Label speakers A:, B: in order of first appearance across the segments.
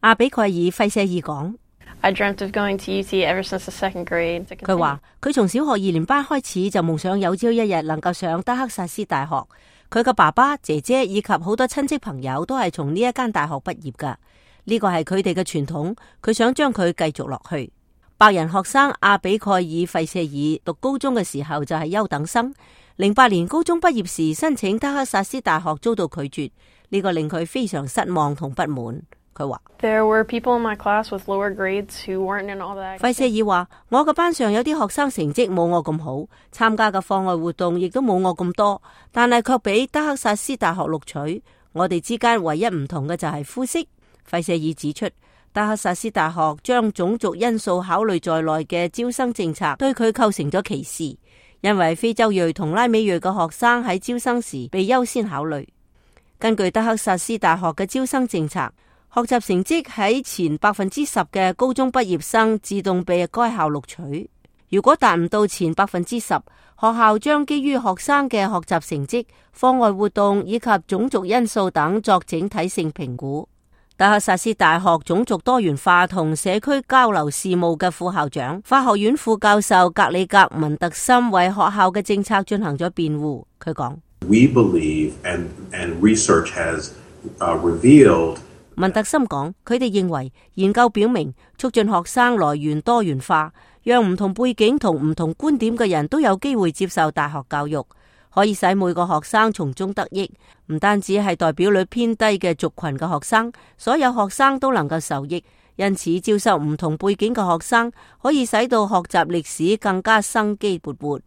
A: 阿比蓋爾費舍爾講。
B: I dreamt of going to UT ever since the second grade.
A: 佢話佢從小學2年班開始就夢想有朝一日能夠上德克薩斯大學。佢嘅爸爸、姐姐以及好多親戚朋友都係從呢一間大學畢業噶。呢個係佢哋嘅傳統，佢想將佢繼續落去。白人學生阿比蓋爾費舍爾讀高中嘅時候就係優等生。08年高中畢業時申請德克薩斯大學遭到拒絕，呢個令佢非常失望同不滿。佢話
B: ：There were people in my class with lower grades who weren't in all that.
A: 費舍爾話：我嘅班上有啲學生成績冇我咁好，參加嘅課外活動亦都冇我咁多，但係卻俾德克薩斯大學錄取。我哋之間唯一唔同嘅就係膚色。費舍爾指出，德克薩斯大學將種族因素考慮在內嘅招生政策對佢構成咗歧視，因為非洲裔同拉美裔嘅學生喺招生時被優先考慮。根據德克薩斯大學嘅招生政策，學習成績喺前10%嘅高中畢業生自動被該校錄取。如果達唔到前10%，學校將基於學生嘅學習成績、課外活動以及種族因素等作整體性評估。德克薩斯大學種族多元化同社區交流事務嘅副校長、法學院副教授格里格文特森為學校嘅政策進行咗辯護。佢講
C: ：We believe and research has revealed。
A: 文特森講，佢哋認為研究表明，促進學生來源多元化，讓唔同背景同唔同觀點嘅人都有機會接受大學教育，可以使每個學生從中得益。唔單止係代表率偏低嘅族群嘅學生，所有學生都能夠受益。因此，招收唔同背景嘅學生，可以使到學習歷史更加生機勃勃。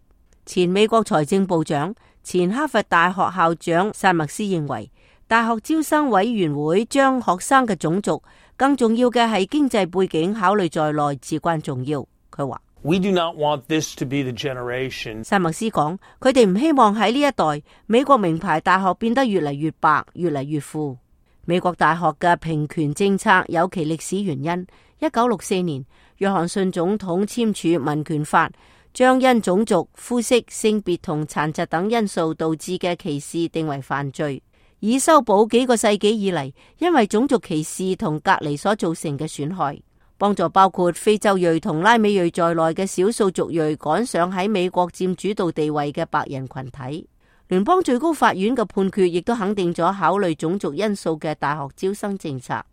A: 前美國財政部長、前哈佛大學校長薩默斯認為，大學招生委員會將學生嘅種族，更重要嘅係經濟背景考慮在內，至關重要。佢話
D: ：We do not want this to be the generation。
A: 薩默斯講，佢哋唔希望喺呢一代美國名牌大學變得越嚟越白，越嚟越富。美國大學嘅平權政策有其歷史原因。1964年，約翰遜總統簽署民權法，將因種族、膚色、性別同殘疾等因素導致嘅歧視定為犯罪，以修補幾個世紀以嚟因為種族歧視同隔離所造成嘅損害，幫助包括非洲裔同拉美裔在內嘅少數族裔趕上喺美國佔主導地位嘅白人群體。聯邦最高法院嘅判決亦都肯定咗考慮種族因素嘅大學招生政策。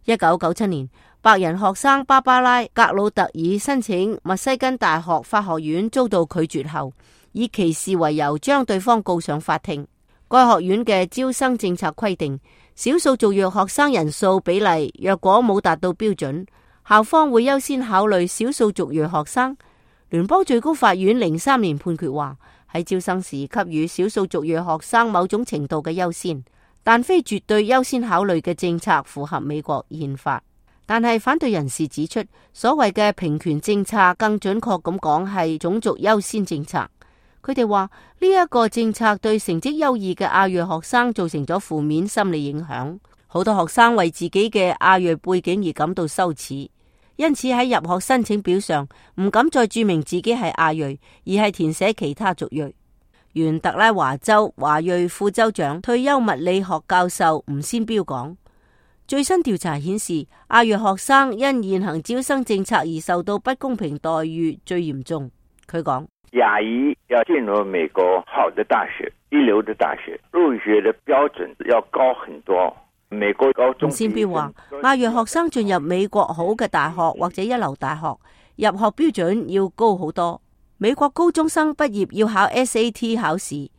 A: 1997年，白人學生芭芭拉·格魯特爾申請密西根大學法學院遭到拒絕後，以歧視為由將對方告上法庭。該學院嘅招生政策規定，少數族裔學生人數比例若果冇達到標準，校方會優先考慮少數族裔學生。聯邦最高法院03年判決話，喺招生時給予少數族裔學生某種程度嘅優先，但非絕對優先考慮嘅政策符合美國憲法。但係反對人士指出，所謂嘅平權政策更準確咁講係種族優先政策。佢哋話呢一個政策對成績優異嘅亞裔學生造成咗負面心理影響，好多學生為自己嘅亞裔背景而感到羞恥，因此喺入學申請表上唔敢再注明自己係亞裔，而係填寫其他族裔。原特拉華州華裔副州長、退休物理學教授吳先標講，最新調查顯示，亞裔學生因現行招生政策而受到不公平待遇最嚴重。佢講，
E: 亞裔要進入美國好的大學、一流的大學，入學的標準要高很多。美國高中
A: 先標話，亞裔學生進入美國好嘅大學或者一流大學，入學標準要高好多。美國高中生畢業要考 SAT 考試，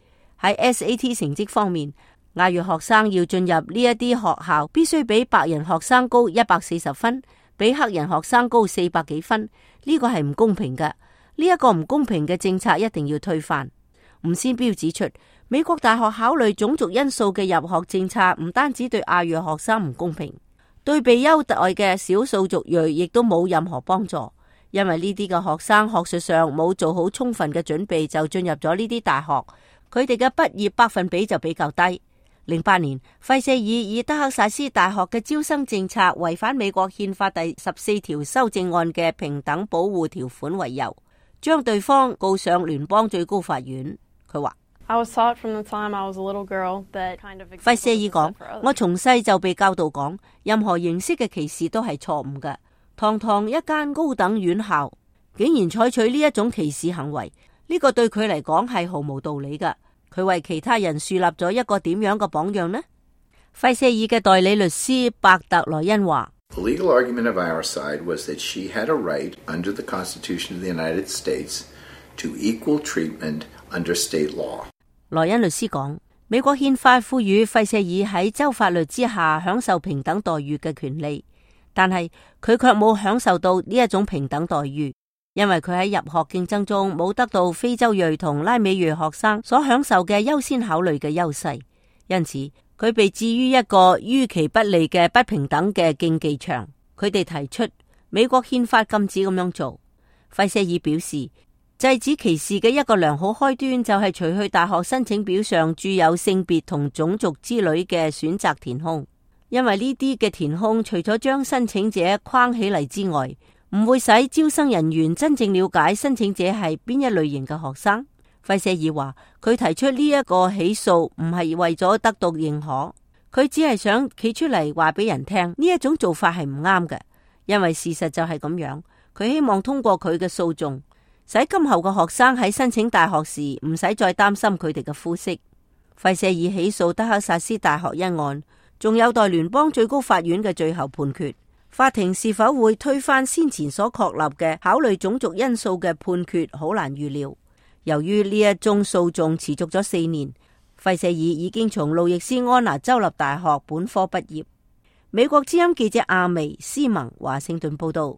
A: 喺 SAT 成績方面，亞裔學生要進入呢一啲學校，必須比白人學生高140分，比黑人學生高400幾分。呢個係唔公平嘅。呢一個唔公平嘅政策一定要推翻。吳先標指出，美國大學考慮種族因素嘅入學政策唔單止對亞裔學生唔公平，對被優待嘅少數族裔亦都冇任何幫助，因為呢啲嘅學生學術上冇做好充分嘅準備就進入咗呢啲大學，佢哋嘅畢業百分比就比較低。08年，費舍爾以德克薩斯大學嘅招生政策違反美國憲法第14條修正案嘅平等保護條款為由，將對方告上聯邦最高法院。佢話
B: I was taught from the time I was a little girl that kind of
A: 費舍爾講
B: for others.，
A: 我從細就被教導講，任何形式嘅歧視都係錯誤嘅。堂堂一間高等院校，竟然採取呢一種歧視行為，呢個對佢嚟講係毫無道理㗎。佢為其他人樹立咗一個點樣嘅榜樣呢？費舍爾嘅代理律師伯特萊恩話
F: The legal argument of our side was that she had a right under the Constitution of the United States to equal treatment under state law.
A: 萊恩律師講，美國憲法賦予費舍爾喺州法律之下享受平等待遇嘅權利，但係佢卻冇享受到呢一種平等待遇，因為佢喺入學競爭中冇得到非洲裔同拉美裔學生所享受嘅優先考慮嘅優勢，因此佢被置於一個於其不利嘅不平等嘅競技場。佢哋提出美國憲法禁止咁樣做。費舍爾表示，制止歧視嘅一個良好開端就係除去大學申請表上注有性別同種族之類嘅選擇填空，因為呢啲嘅填空除咗將申請者框起嚟之外，唔會使招生人員真正了解申請者係邊一類型嘅學生。費舍爾話，佢提出呢一個起訴唔係為咗得到認可，佢只係想企出嚟話俾人聽呢一種做法係唔啱嘅，因為事實就係咁樣。佢希望通過佢嘅訴訟，使今後嘅學生喺申請大學時唔使再擔心佢哋嘅膚色。費舍爾起訴德克薩斯大學一案，仲有待聯邦最高法院嘅最後判決。法庭是否會推翻先前所確立嘅考慮種族因素嘅判決，好難預料。由於呢一宗訴訟持續咗4年，費舍爾已經從路易斯安那州立大學本科畢業。美國之音記者阿薇斯文華盛頓報道。